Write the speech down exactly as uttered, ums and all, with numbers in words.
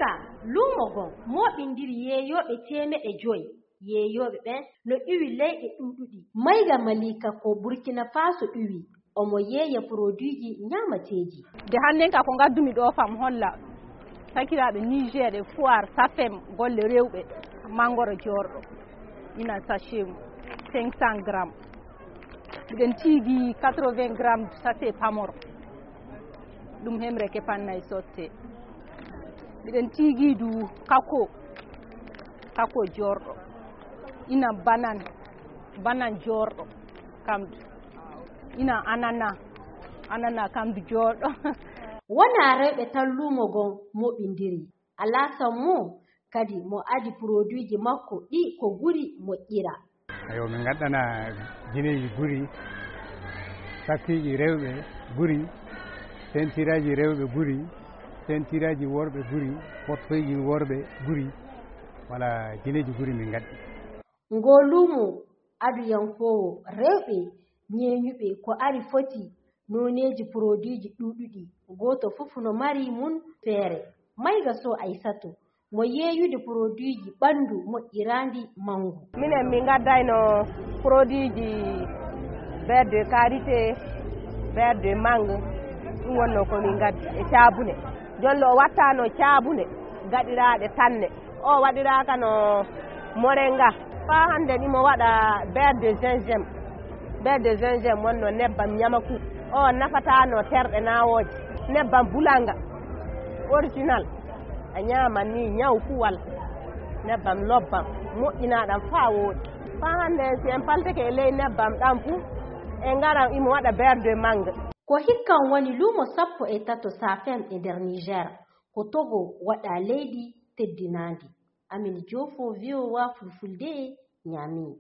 Ka luumo ngon mooɓindiri yeeyooɓe teemeɗe joy. Yeeyooɓe ɓen no iwi leyɗe ɗuuɗuɗi. Mayga Malika ko Burkina Faso iwi. Omo yeeya poroduiji ñaamateeji. Nde hannden ka ko ngaddumi ɗo fam holla sakiraaɓe Niger e Foire Safem golle rewɓe. Mangoro joorɗo ina sachet mum cinq cents grammes. Miɗen tiigi quatre-vingts grammes sachet pamoro. Ɗum hemre ke pannay sotte. Miɗen tiigi du kako. Kako joorɗo. Ina banan. Banan joorɗo. Kam du. Ina anana. Anana kam du joorɗo. Wonaa rewɓe tan luumo ngon moɓindiri. Alaa sammo kadi mo adi poroduiji makko ɗi ko guri moƴƴira. Ayo, min ngaddana jineeji guri, sakkiiji rewɓe guri, sentiraaji rewɓe guri, sentiraaji worɓe guri, pottoyji worɓe guri. Wala jineeji guri min ngaddi. Ngo luumo aduyankoowo rewɓe ñeeñuɓe ko ari foti nooneeji poroduiji ɗuuɗuɗi, gooto fof no mari mum feere. Mayga Sow Aysatu mo yeeyude poroduiji ɓanndu moƴƴiraandi manngu. Minen min ngaddayno poroduiji beurre de karité, beurre de mangue, ɗum wonno ko min ngaddi e caabune. Jonlo o wattano caabune gaɗiraaɗe tanne. O waɗiraaka no moringa. Faa hannde imo waɗa beurre de gingembre. Beurre de gingembre wonno nebbam ñamaku. O nafataano terɗe naawooje. Nebbam bulanga original. A ñaaman ni ñaw kuwal. Nebbam lobbam moƴƴinaaɗam faa wooɗi. Faa hannde si en paltike e ley nebbam ɗam fu, en ngaran imo waɗa beurre de mangue. Ko hikkan woni luumo sappo e tato Safem e nder Niger. Ko Togo waɗa leydi teddinaandi. Amin Joofo, V O A Fulfulde, Niamey.